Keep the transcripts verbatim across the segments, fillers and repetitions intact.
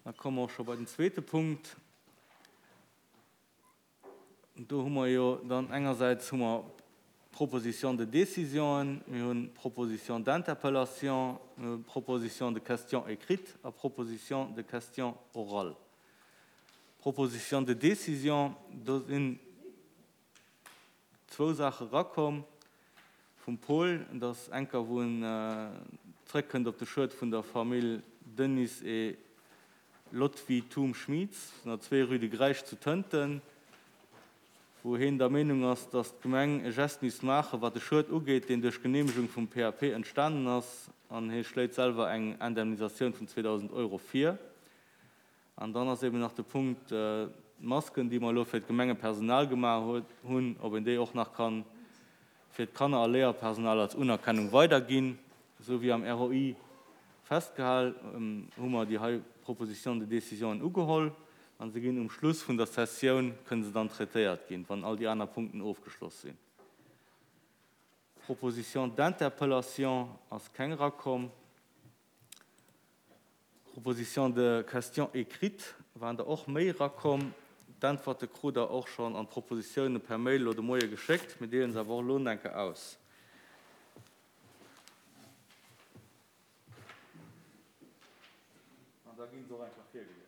Da komme mer och scho bei den zweete Punkt. Do hu mer jo dann engersäits hu mer Proposition de décisionen, mir hunn Proposition d'interpellation, mir hu Proposition de question écrite a Proposition de question orale. Proposition de décision, do sinn zwou Saache rakomm vum Paul, dass enker wou en zréckkënnt op de Schued vun der Famill Denis et Lotfi Thum-Schmieds, vun der zwee rue de Greisch zu Tënten, wou hien der Meenung ass, dass d'Gemeng e Geste misst maachen, wat de Schued ugeet, deen duerch d'Geneemegung vum P A P entstanen ass, an hie schléit selwer eng Indemnisatioun vun zweedausend Euro vir. An dann ass eben nach de Punkt, d'Masken, déi mer elo fir d'Gemengepersonal gemaach hunn, ob een déi och nach kann fir d'Kanner a Léierpersonal als Unerkennung weiderginn, esou wéi am R O I festgehal, hu mer déi hei Proposition de décision ugeholl. An se ginn um Schluss vun der Sessioun, kënnen se dann traitéiert ginn, wann all déi aner Punkten ofgeschloss sinn. Proposition d'interpellation ass keng rakomm. Proposition de question écrite waren der och méi rakomm. D'Äntwerte krut der och schonn an d'Propositioune per Mail lo de Moie geschéckt. Mir deelen se awer och lo enke aus. An da ginn se och einfach virgelies.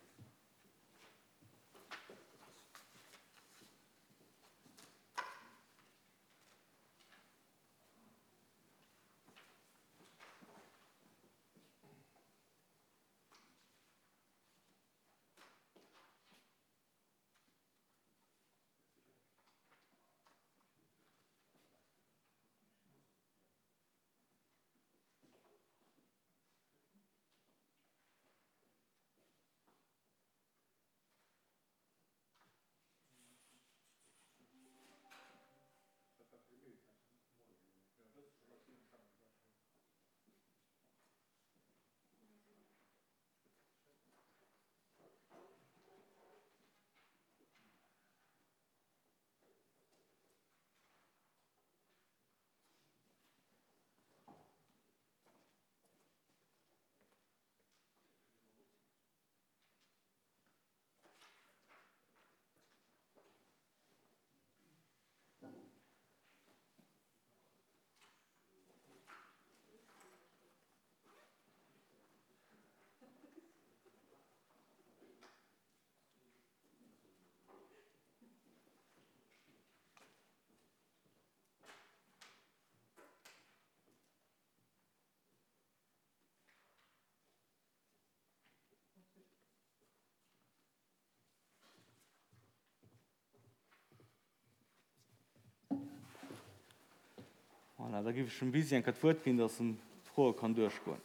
Voilà, da gif ech dem Bisi eng Kéier d'Wuert ginn, dass en d'Froe kann duerchgoen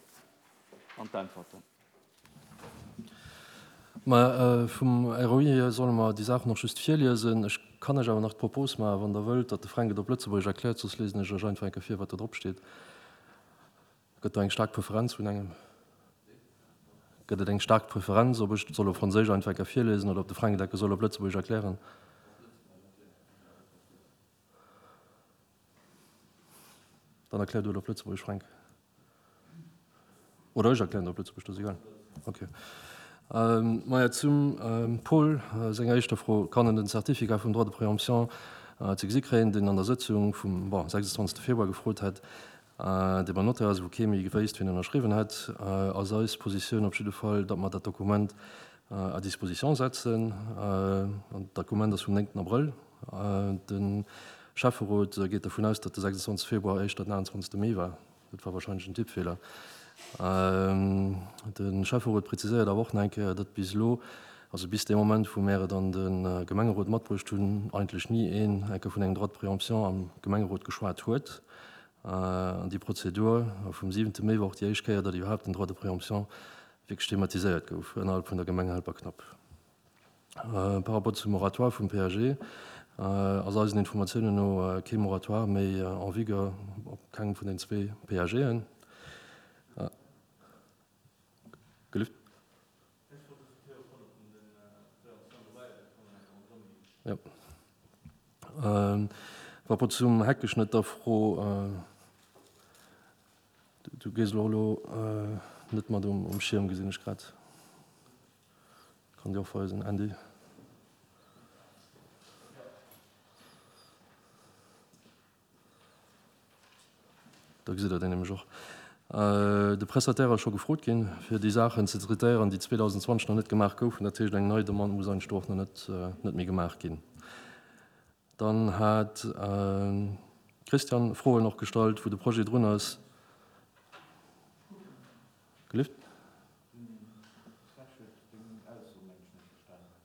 an d'Äntwerten. Ma, vum R O I hier solle mer déi Saachen och just virliesen. Ech kann iech awer nach d'Propos maachen, wann der wëllt, datt de Fränk et op Lëtzebuergesch erkläert, soss lesen ech iech einfach eng Kéier vir, wat do drop steet. Gëtt do eng staark Preferenz vun engem? Gëtt et eng staark Preferenz, ob ech soll op Franséisch einfach eng Kéier virlesen oder ob de Fränk et enke soll op Lëtzebuergesch erklären? Dann erklär du et op Lëtzebuergesch, Fränk. Oder ech erklären op Lëtzebuergesch, das ist egal. Okay. Ähm, Maja, zum, ähm, Paul, äh, senger éischter Fro, kann en den Certificat vum Droit de préemption, äh, ze gesi kréien, den an der Sëtzung vum, bon, sechsundzwanzigsten Februar gefrot hat, äh, dee beim Notaire ass, wou kee méi gewéisst, wien ënnerschriwwen hat, äh, ass eis Positioun op jidde Fall, datt mer dat Dokument, äh, à disposition setzen. Äh, an d'Dokument ass vum neunten Abrëll. Äh, den Schäfferot geet davon aus, datt de sechsundzwanzigsten Februar éischter den achtundzwanzigsten Mee war. Dat war wahrscheinlich en Tippfehler. Ähm, den Schäfferot präziséiert awer och nach eng Kéier, datt bis elo, also bis dem Moment, wou mir dann den, äh, Gemengerot matbruecht hunn, eigentlich nie een enke vun engem Droit de préemption am Gemengerot geschwat huet. Äh, an déi Prozedur vum siebenten Mee war och déi éischt Kéier, datt iwwerhaupt den Droit de préemption wirklich thematiséiert gouf, innerhalb vun der Gemeng Helperknapp. Äh, par rapport zum Moratoire vum P A G, äh, ass eisen Informatiounen no, äh, kee Moratoire méi, äh, en vigueur op kengem vun den zwee P A G-en. Äh, gelüft? Ja. Ähm, par rapport zum Heckeschnëtt der Fro, äh, du, du gehst lo, lo, äh, net mat um, um Schirm, gesinn ech grad. Kann déi och weisen, Andy. Da gesitt Der déi nämlech och. De Prestataire ass scho gefrot ginn, fir déi Saachen ze traitéieren, déi zweedausendzwanzeg nach net gemaach goufen. Dat heescht, eng nei Demande muss eigentlech do och nach net, net méi gemaach ginn. Dann hat Christian Froen och gestallt, wou de Projet drun ass. Gelift?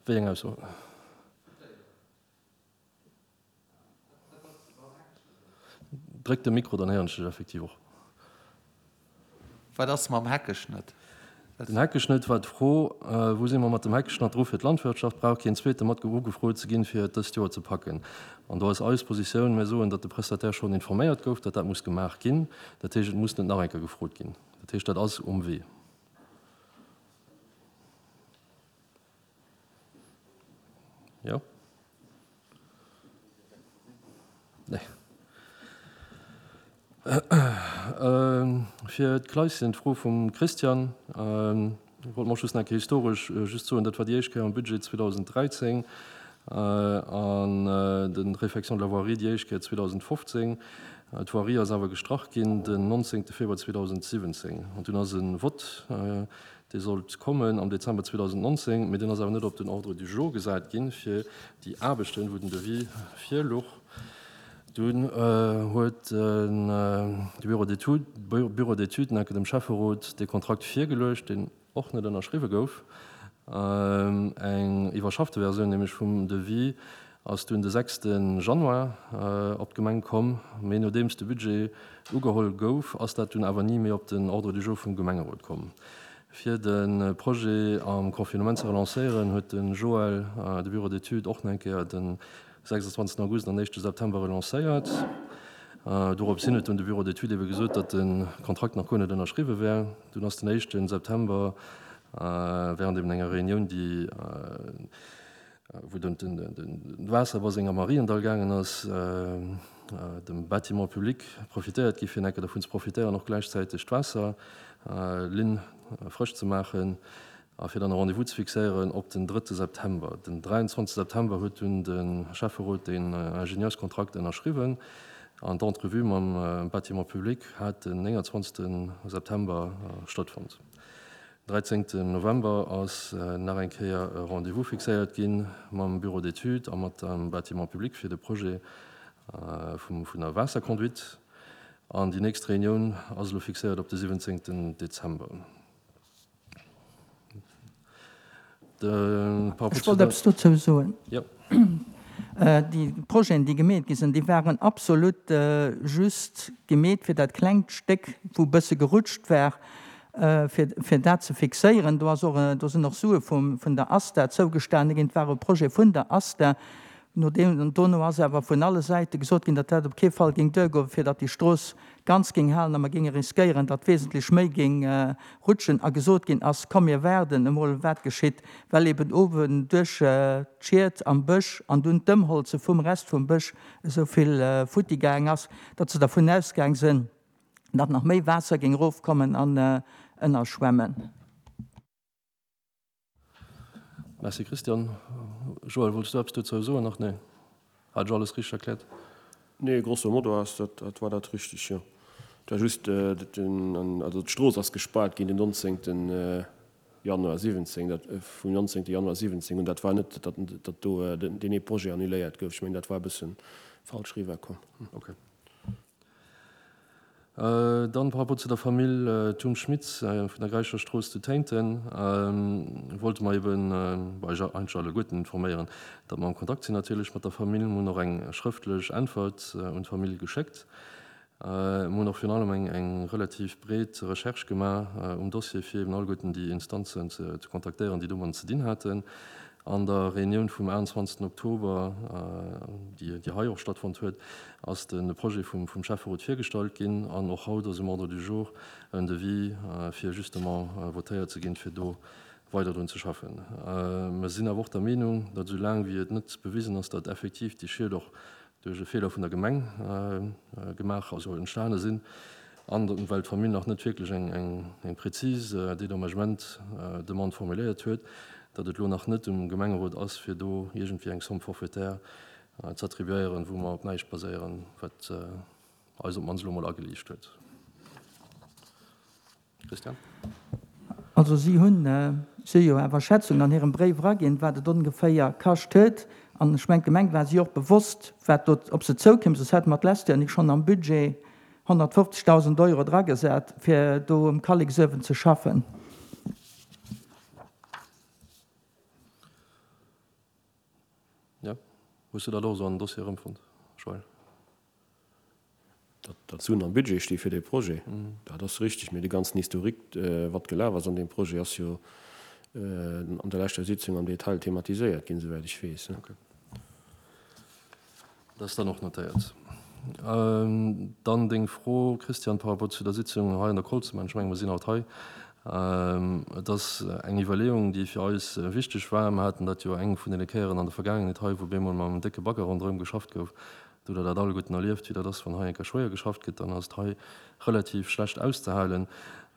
Wéi eng Ausso? Dréck de Mikro, dann héieren ech dech effektiv och. Wat ass mam Heckeschnëtt? Den Heckeschnëtt war d'Fro, Wou si mer mat dem Heckeschnatt dru fir d'Landwirtschaft? Brauch keen zweete mat ugefrot ze ginn, fir et dëst Joer ze packen? An do ass eis Positioun, mir soen, datt de Prestataire schonn informéiert gouf, datt dat muss gemaach ginn. Dat heescht, et muss net nach eng Kéier gefrot ginn. Dat heescht, dat ass um Wee. Jo? Nee. Fir d'Kleischen, d'Fro vum Christian, wollt mer och just nach eng Kéier historesch just soen, dat war déi éischt Kéier am Budget zweedausenddräizéng an de Réfection de la voirie déi éischt Kéier zweedausendfofzéng. D'Voirie ass awer gestrach ginn den nonzéngte Februar zweedausensiwwenzéng an dunn ass e Vott, dee sollt kommen am Dezember zweedausendnonzéng, mee deen ass awer net op den Ordre du jour gesat ginn, fir déi Aarbechten, wou den Devis virluch. Dunn huet de Bureau d'études, Bureau d'études enke dem Schäfferot dee Kontrakt virgeluecht, deen och net ënnerschriwwe gouf. Eng iwwerschaffte Versioun nämlech vum Devis ass dunn de sechste Januar op d'Gemeng komm, mee nodeems de Budget ugeholl gouf, ass dat dunn awer ni méi op den Ordre du jour vum Gemengerot komm. Fir de Projet am Confinement ze relancéieren, huet de Joël de Bureau d'études och nach eng Kéier de sechsundzwanzegsten August an éischte September relancéiert. Dorops hin huet dunn de Bureau d'études ebe gesot, datt de Kontrakt nach guer net ënnerschriwwe wär. Dunn ass den éischte September während eben enger Reunioun, déi wou den Waasserbaseng am Mariendall gaangen ass, dem Bâtiment public profitéiert gi fir enke dervun ze profitéieren, och gläichzäiteg d'Waasserlinn frësch ze maachen a fir dann e Rendez-vous ze fixéieren op den drëtte September. Den dräianzwanzegste September huet dunn de Schäfferot den Ingenieurskontrakt ënnerschriwwen an d'Entrevue mam Bâtiment public hat den nénganzwanzegste September stattfonnt. dräizéngten November ass nach eng Kéier e Rendez-vous fixéiert gi mam Bureau d'études a mat dem Bâtiment public fir de Projet vum vun der Waasserconduite. An déi nächst Reunioun ass elo fixéiert op de siwwenzéngten Dezember. De par Ech rapport zu wollt der. eppes dozou soen. Jo. Déi Projeten, déi gemeet gi sinn, déi waren absolut just gemeet fir dat klengt Stéck, wou e bësse gerutscht war, fir, fir dat ze fixéieren. Do ass och, do sinn och Sue vum, vun der ASTA zougestane ginn. Et war e Projet vun der ASTA. Nodeem, dono ass awer vun alle Säite gesot ginn, datt dat op kee Fall géing duergoen, fir datt déi Strooss ganz géing halen a mer géinge riskéieren, datt wesentlech méi géing rutschen. A gesot ginn ass, Komm mir waarden emol wat geschitt, well eben uewen duerch d'Schied am Bësch an dunn d'Ëmholze vum Rest vum Bësch esou vill futti gaang ass, datt se dervun ausgaang sinn, datt nach méi Waasser géing erofkommen an ënnerschwemmen. Merci Christian. Joël, wollts du eppes dozou soen nach? Nee, hat ech alles richteg erkläert? Nee, grosso modo ass dat, dat war dat richtig, jo. Et war just den, also d'Strooss ass gespaart ginn den nonzéngten Januar siwwenzéng, dat vum nonzéngte Januar siwwenzéng un. Dat war net, datt, datt do deen ee Projet annuléiert gouf. Ech mengen, dat war e bësse falsch eriwwerkomm. Okay. Dann par rapport zu der Famill Thum-Schmitz vun der Greicher Strooss zu Téinten wollte mer eben eis eigentlech alleguerten informéieren, datt mer am Kontakt sinn natierlech mat der Famill. Mer hunn och eng schrëftlech Äntwert un d'Famill geschéckt. Mer hunn och virun allem eng relativ breet Recherche gemaach um Dossier, fir eben alleguerten déi Instanzen ze kontaktéieren, déi domadden ze dinn haten. An der Reunioun vum aachtundzwanzegsten Oktober, déi hei och stattfonnt huet, ass de Projet vum Schäfferot virgestallt ginn an och haut ass um Ordre du jour en Devis, fir justement votéiert ze ginn, fir do weider drun ze schaffen. Mer sinn awer och der Meenung, datt esou laang wéi et net bewisen ass, datt effektiv déi Schied och duerch e Feeler vun der Gemeng gemaach, also entstane sinn, an well d'Famill nach net wierklech eng, eng, eng präzis Dédommagement-Demande formuléiert huet, datt et elo nach net um Gemengerot ass, fir do iergendwéi eng Somme forfaitaire z'attribuéieren, wou mer op näischt baséieren, wat eis op d'mannst elo mol ageliicht huet. Christian? Also si hunn, si hu jo awer Schätzungen an hirem Bréif eraginn, wat et ongeféier kascht huet. An ech mengen, d'Gemeng war si och bewosst, wat do op se zoukéim, soss hätte mer d'lescht Joer nik schonn am Budget honnertfofzegdausend Euro dragesat, fir do um Kalleksuewen ze schaffen. Jo, hues du dat och esou an den Dossier erëmfonnt, Joël? Datt Suen am Budget sti fir dee Projet, dat ass richtig. Mee de ganzen Historique, wat gelaf ass an deem Projet, ass jo an der leschter Sitzung am Detail thematiséiert ginn, souwäit ech weess. Okay. Dat ass dann och notéiert. Dann deng Fro, Christian, par rapport zu der Sitzung hei an der Kolzemann. Ech mengen, mer sinn haut hei. Et ass eng Iwwerleeung, déi fir eis wichteg war. Mer haten dat jo eng vun deene Kéieren an der Vergaangenheet hei, wou bemol mam décke Bagger ronderëm geschafft gouf. Do hutt Der dat alleguerten erlieft, wéi dat ass, wann hei eng Kéier schwéier geschafft gëtt, dann ass et hei relativ schlecht auszehalen.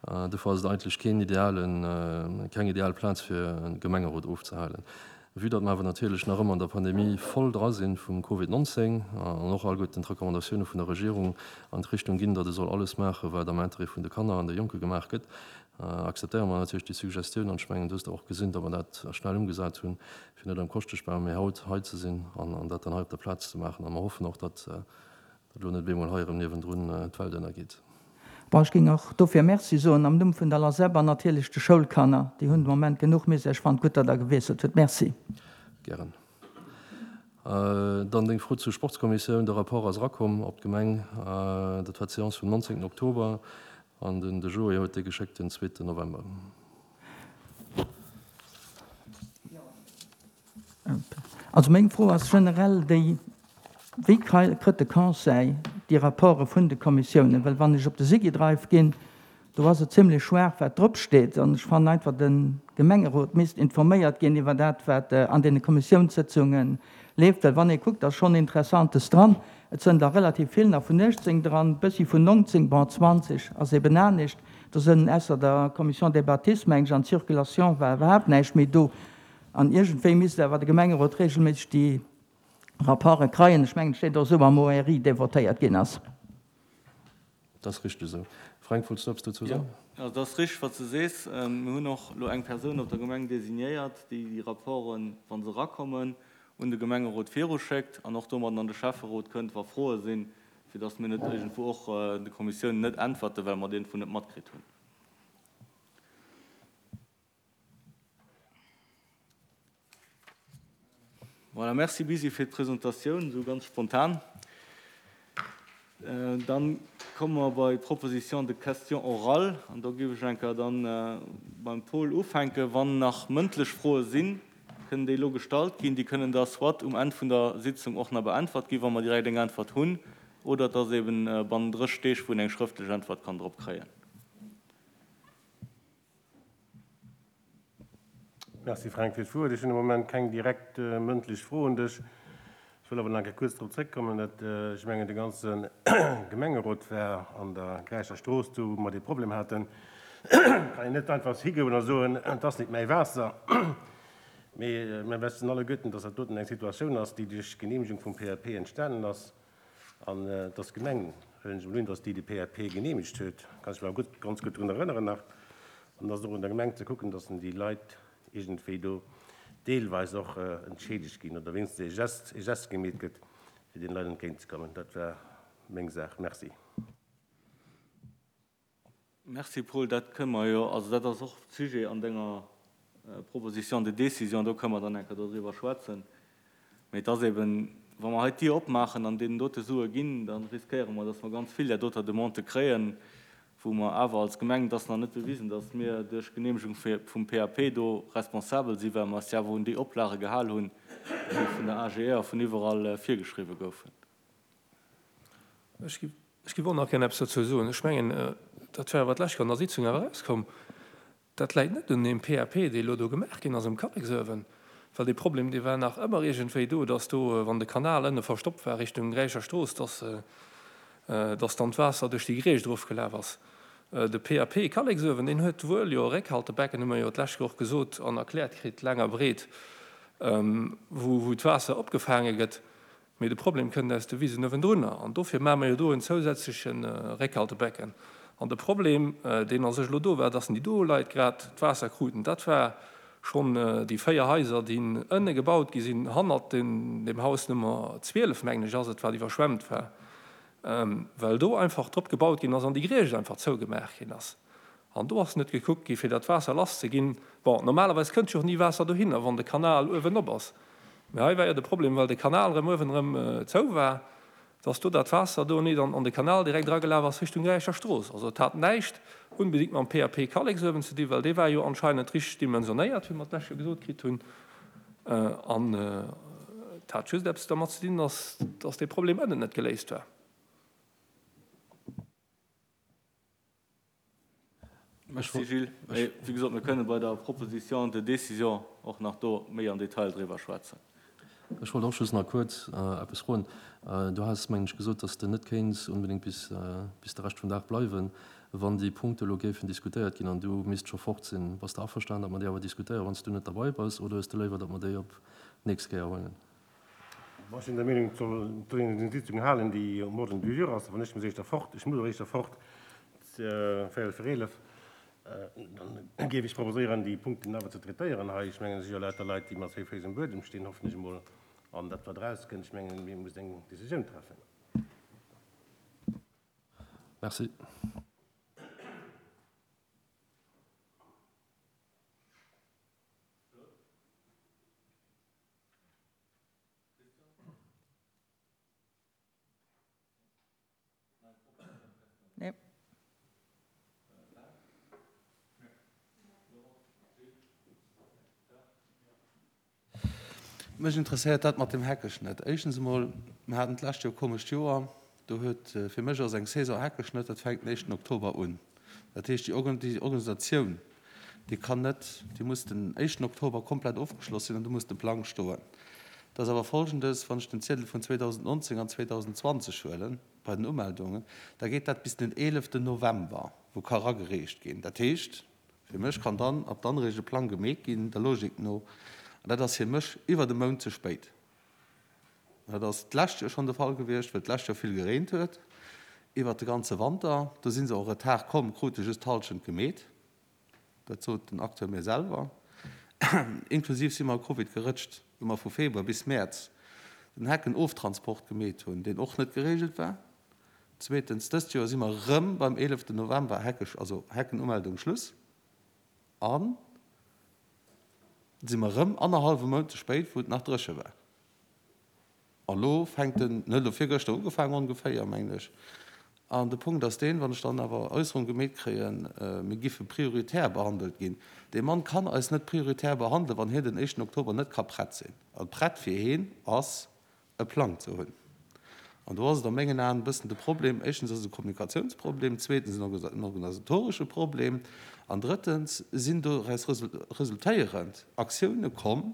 Dofir ass et eigentlech keen idealen, keng ideal Plaz, fir e Gemengerot ofzehalen. Vue datt mer awer natierlech nach ëmmer an der Pandemie voll dra si vum Covid neunzéng an och alleguerten d'Recommandatioune vun der Regierung an d'Richtung ginn, datt e soll alles maachen, wat am Interêt vun de Kanner an de Jonke gemaach gëtt, akzeptéiere mer natierlech déi Suggestioun. An ech mengen, du hues der och gesinn, datt mer dat schnell ëmgesat hunn, fir net am Koschteschbaum, mee haut hei ze sinn an dat dann hei op der Plaz ze maachen. A mer hoffen och, datt elo net bemol hei erëm niewendrun d'Welt ënnergeet. Bon, ech géing och dofir Merci soen am Numm vun der LASEP an natierlech de Schoulkanner. Déi hunn de Moment genuch Misär. Ech fannen et gutt, datt Der gewiesselt hutt. Merci. Gären. Dann deng Fro zur Sportskommissioun. De Rapport ass erakomm op d'Gemeng. Dat war d'Seance vum nonzéngten Oktober an den de Joé huet dee geschéckt den zweeten November. Also meng Fro ass generell déi, Wéi kritt de Conseil déi Rapporte vun de Kommissiounen? Well wann ech op de Sigidrive ginn, do ass et zimlech schwaach wat drop steet. An ech fannen einfach, de Gemengerot misst informéiert ginn iwwer dat wat an deene Kommissiounssëtzunge leeft. Well wann ee kuckt, ass schonn Interessantes dran. Et sënn der relativ vill nach vun uechtzéng dran, bëssi vun nongzéng, bon zwanzeg ass eben anescht. Do sënn ausser der Commission des bâtisses, meng ech, an d'Circulation war iwwerhaapt näischt méi do. An iergendwéi misst awer de Gemengerot regelméisseg déi Rapporte kreien. Ech mengen, et steet och esou am O R I, dee votéiert ginn ass. Dat ass richteg esou. Fränk, wollts du eppes dozou soen? Jo, also dat ass richteg, wat s de sees. Mir hunn och elo eng Persoun op der Gemeng designéiert, déi déi Rapporten, wa se erakommen, un de Gemengerot viruschéckt an och domadden an de Schäfferot kënnt, wa Froe sinn, fir datt mir net iergendwou och de Kommissiounen net äntwerten, well mer et iergendwou net matkritt hunn. Voilà, merci Bisi fir d'Presentatioun, esou ganz spontan. Dann komme mer bei d'Proposition de question orale an do géif ech eng Kéier dann beim Paul ufänken. Wann nach mëndlech Froe sinn, kënnen déi elo gestallt ginn. Déi kënnen da soit um Enn vun der Sitzung och nach beäntwert ginn, wa mer direkt eng Äntwert hunn, oder et ass eben bannen drësseg Deeg, wou een eng schrëftlech Äntwert kann drop kréien. Merci Fränk fir d'Wuert. Ech hunn am Moment keng direkt mëndlech Fro un dech. Ech wëll awer nach eng Kéier kuerz drop zréckkommen, datt, ech mengen, de ganze Gemengerot war an der Gräicher Strooss do, wou mer dee Problem haten. Et kann een net einfach higoen a soen, et ass nit mäi Waasser. Mee mir wëssen alleguerten, datt dat doten eng Situatioun ass, déi duerch d'Geneemegung vum P A P entstanen ass. An et ass d'Gemeng, huelen ech emol un, datt déi de P A P geneemegt huet, kann ech mech awer gutt, ganz gutt drun erënneren nach. An et ass och un der Gemeng ze kucken, datt en déi Leit iergendwéi do deelweis och entschädigt ginn oder wéinstens e Gest, e Gest gemeet gëtt, fir deene Leit entgéintzekommen. Dat war meng Saach. Merci. Merci Paul, dat kënne mer jo, also dat ass och Sujet an denger Proposition de décision, do kënne mer dann eng Kéier dodriwwer schwätzen. Mee et ass eben, wa mer hei d'Dier opmaachen an deenen dote Sue ginn, da riskéiere mer, datt mer ganz vill där doter Demandë kréien, wou mer awer als Gemeng, et ass nach net bewisen, datt mir duerch d'Genehmegung vum P A P do responsabel sinn, well mer eis jo awer un déi Oplage gehal hunn, déi vun der A G E a vun iwwerall virgeschriwwe goufen. Ech géif och nach gär eppes dozou soen. Ech mengen, dat war awer d'lescht Kéier an der Sitzung awer erauskomm, dat läit net un deem P A P, dee elo do gemaach ginn ass um Kalleksöwen, well dee Problem, dee war nach ëmmer iergendwéi do, dass do, wann de Kanal ënne verstoppt war Richtung Gräicher Strooss, dass dass dann d'Waasser duerch déi Griecht erofgelaf ass. De P A P Kalleksuewen, deen huet wuel jo e Réckhaltebecken, hu mer jo d'lescht Joer och gesot an erkläert kritt, laang a breet, wou d'Waasser opgefaange gëtt. Mee de Problem kënnt aus de Wisen uewendrunner. An dofir maache mer jo do en zousätzleche Réckhaltebecken. An de Problem, deen a sech elo do war, dass déi do Leit grad d'Waasser kruten, dat war schonn déi véier Haiser, déi ënne gebaut gi sinn, hannert dem Haus Nummer zwielef, mengen ech ass et, wat iwwerschwemmt war, well do einfach drop gebaut ginn ass an déi Griecht einfach zougemaach ginn ass. An do ass net gekuckt gi fir dat Waasser lass ze ginn. Bon, normalerweis kënnt jo och ni Waasser dohinner, wann de Kanal uewen op ass. Mä hei war jo de Problem, well de Kanal erëm uewen erëm zou war, dass do dat Waasser do net an de Kanal direkt eragelaf ass Richtung Gräicher Strooss. Also et hat näischt unbedingt mam P A P Kalleksuewen ze dinn, well dee war jo anscheinend richteg dimensionéiert, wéi mer d'lescht Joer gesot kritt hunn. An et hat just eppes dermat ze dinn, dass dass dee Problem ënnen net geléist war. Merci Gilles. Mee wéi gesot, mir kënne bei der Proposition de décision och nach do méi am Detail driwwer schwätzen. Ech wollt och just nach kuerz eppes froen. Du has, mengen ech, gesot, dass de net kéints onbedéngt bis bis de Rescht vum Dag bleiwen, wann déi Punkte elo géifen diskutéiert ginn an du misst scho fort sinn. Bass de averstanen, datt mer déi awer diskutéieren, wann s du net derbei bass, oder hues de léiwer, datt mer déi op d'nächst Kéier huelen? Ech sinn der Meenung, et soll een eng Sitzung halen, déi um Ordre du jour ass. Wann ech muss éischter fort, ech muss och éischter fort, véierel vir eelef, dann géif ech proposéieren, déi Punkten awer ze traitéieren hei. Ech mengen, et si jo lauter Leit, déi mat zwee Féiss um Buedem stinn, hoffen ech emol, an dat, wat erauskënnt, ech mengen, mir mussen eng Décisioun treffen. Merci. Mech interesséiert dat mat dem Heckeschnëtt. Éischtens emol, mir haten d'lescht Joer e komescht Joer. Do huet, fir mech ass eng Saison Heckeschnëtt, dat fänkt den éischten Oktober un. Dat heescht, déi Organisatioun, déi kann net, déi muss den éischten Oktober komplett ofgeschloss sinn an du muss de Plang stoen. Et ass awer Folgendes, Wann ech den Ziedel vun zweedausendnonzéng an zweedausendenzwanzeg huelen, bei den Umeldungen, da geet dat bis den eeleften November, wou ka eragereecht ginn. Dat heescht, fir mech kann dann ab dann eréischt e Plang gemeet ginn, der Logik no. An dat ass fir mech iwwert e Mount ze spéit. Dat ass d'lescht Joer schonn de Fall gewiescht, well d'lescht Joer vill gereent huet iwwert de ganze Wanter. Do si se en retard komm, krute just d'Hallschent gemeet. Dat sot den Acteur mir selwer. Inklusiv si mer a Covid gerëtscht, wou mer vu Februar bis Mäerz den Heckenoftransport gemeet hunn, deen och net geregelt war. Zweetens, dëst Joer si mer erëm beim eeleften November, Hecke, also Heckenumeldung Schluss. An si mer erëm annerhallwe Mount ze spéit, wou et nach dréche war. A lo fänkt en, en huet elo virgëschter ugefaangen ongeféier, mengen ech. An de Punkt ass deen, wann ech dann awer Äusserung gemeet kréien, mir giffe prioritär behandelt ginn. Dee Mann kann eis net prioritär behandelen, wann hien den éischten Oktober net ka prett sinn. A prett fir hien ass, e Plang ze hunn. An do ass et a mengen Aen e bëssen de Problem, éischtens ass et e Kommunikatiounsproblem, zweetens en organisatoresche Problem an drëttens sinn doraus resultéierend Aktioune komm,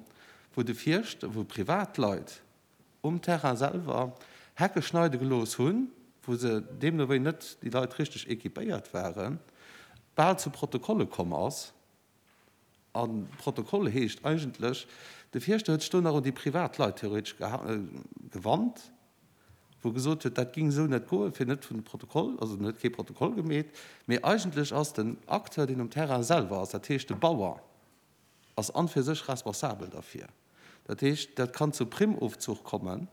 wou de Fierschter, wou Privatleit um Terrain selwer Hecke schneide gelooss hunn, wou se deemno wéi net déi Leit richteg équipéiert waren, bal zu Protokolle komm ass. A Protokoll heescht eigentlech, de Fierschter huet sech do nach un déi privat Leit theoretesch gewannt, wou gesot huet, dat géing esou net goen, fir net vun de Protokoll, also en huet kee Protokoll gemeet, mee eigentlech ass den Acteur, deen um Terrain selwer ass, dat heescht de Bauer, ass an fir sech responsabel derfir. Dat heescht, dat kann zu Primmofzuch kommen,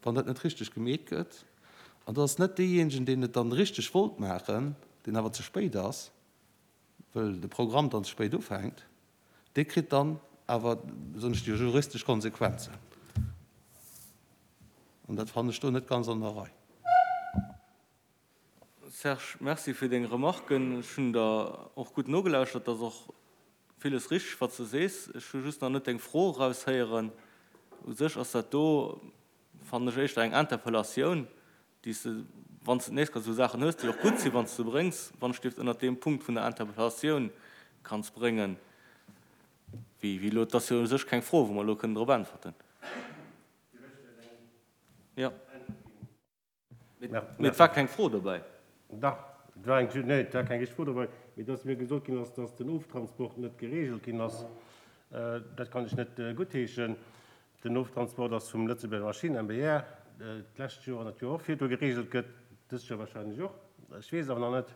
wann dat net richteg gemeet gëtt. An dat ass net deejéinegen, deen et dann richteg wollt maachen, deen awer ze spéit ass, wëll de Programm dann ze spéit ufänkt, dee kritt dann awer, soen ech, déi juristesch Konsequenzen. An dat fannen ech do net ganz an der Rei. Serge, Merci fir deng Remarken. Ech hunn der och gutt nogelauschtert. Et ass och villes richteg, wat s de sees. Ech hu just nach net deng Fro eraushéieren. U sech ass dat do, fannen ech, éischter eng Interpellatioun, déi s de, wann s de d'nächst Kéier esou Saachen hues, déi och gutt sinn, wann s de se bréngs, wann ech dierft ënnert deem Punkt vun der Interpellatioun kanns bréngen, wéi elo. Et ass jo u sech keng Fro, wou mer elo kënnen drop äntwerten. Jo. Mee et war keng Fro dobäi. Dach, et war eng, nee, et war keng richteg Fro dobäi, mee dass mir gesot ginn ass, dass den Oftransport net geregelt ginn ass, dat kann ech net guttheeschen. Den Oftransport ass vum Lëtzebuerger Maschinen, MBR, d'lescht Joer an dat Joer och virdu geregelt gëtt, dëst Joer wahrscheinlech och, ech weess awer nach net,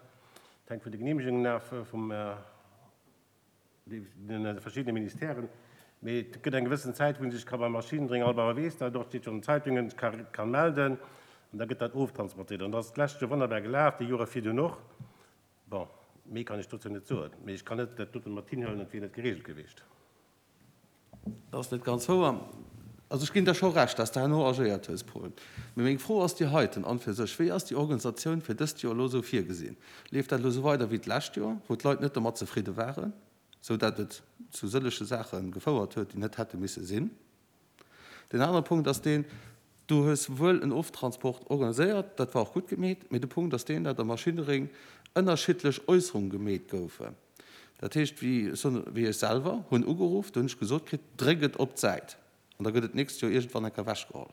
et hänkt vun de Genehmegungen af vum de verschiddene Ministèren, mee et gëtt eng gewëssen Zäit, wou ee sech ka beim Maschinendrénger, all Bauer weess dat och, steet jo an den Zeitungen, ka ka melden an da gëtt dat oftransportéiert. An dat ass d'lescht Joer wonnerbar gelaf, déi Jore virdun och. Bon, méi kann ech dozou net soen, mee ech kann net dat doten mat hinhuelen, et wier net geregelt gewiescht. Dat ass net ganz wouer. Also ech ginn der scho Recht, dass de herno agéiert hues, Paul. Mee meng Fro ass déi heiten an fir sech, Wéi ass déi Organisatioun fir dëst Joer elo esou virgesinn? Leeft dat elo esou weider wéi d'lescht Joer, wou d'Leit net domat zefridde waren, sou dat et zu sëllege Saache gefouert huet, déi net hätte misse sinn? Deen anere Punkt ass deen, Du hues wuel en Oftransport organiséiert, dat war och gutt gemeet, mee de Punkt ass deen, dat am Maschinneréng ënnerschiddlech Äusserunge gemeet goufen. Dat heescht, wéi wéi ech selwer hunn ugeruff, do hunn ech gesot kritt, dréck et op d'Säit an da gëtt et d'nächst Joer iergendwann eng Kéier ewechgeholl.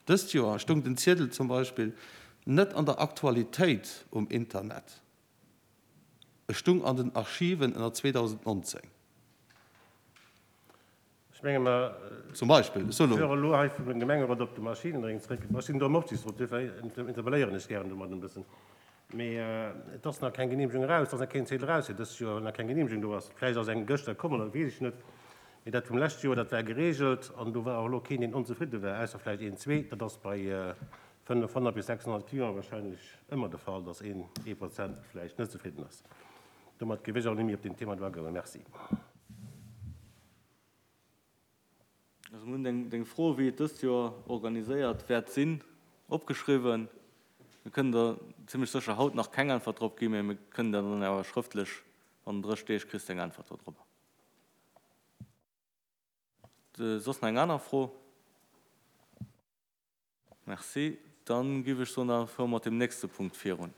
Dëst Joer stoung den Ziedel zum Beispill net an der Aktualitéit um Internet, e stung an den Archiven ënner zweedausendnonzéng. Ech menge mer Zum Beispill, ech soe lo. Fuere elo hei vum Gemengerot op de Maschinenring zréck. Ech sinn do am Aufsichtsrot, duerfir interpelléieren ech gären domat en bëssen. Mee et ass nach keng Genehmegung eraus, et ass nach keen Ziedel eraus fir dëst Joer, well nach keng Genehmegung do ass. Vläicht ass eng gëschter komm oder weess ech net. Mee dat vum leschte Joer, dat war geregelt an do war och elo keen, deen onzefridde war, ausser vläicht een, zwee. Dat ass bei fënnefhonnert bis sechshonnert Clienten wahrscheinlech ëmmer de Fall, dass een, ee Prozent vläicht net zefridden ass. Domat géif ech awer net méi op deen Thema do agoen. Merci. Also mir hunn deng Fro, wéi et dëst Joer organiséiert wäert sinn, opgeschriwwen. Mir kënnen der zimlech sécher haut nach keng Äntwert drop ginn, mä mir kënnen der dann awer schrëftlech bannent dräch Deeg kriss de eng Äntwert dodrop. Soss nach eng aner Fro? Merci. Dann giff ech soen, da fuere mer mat deem nächste Punkt virun.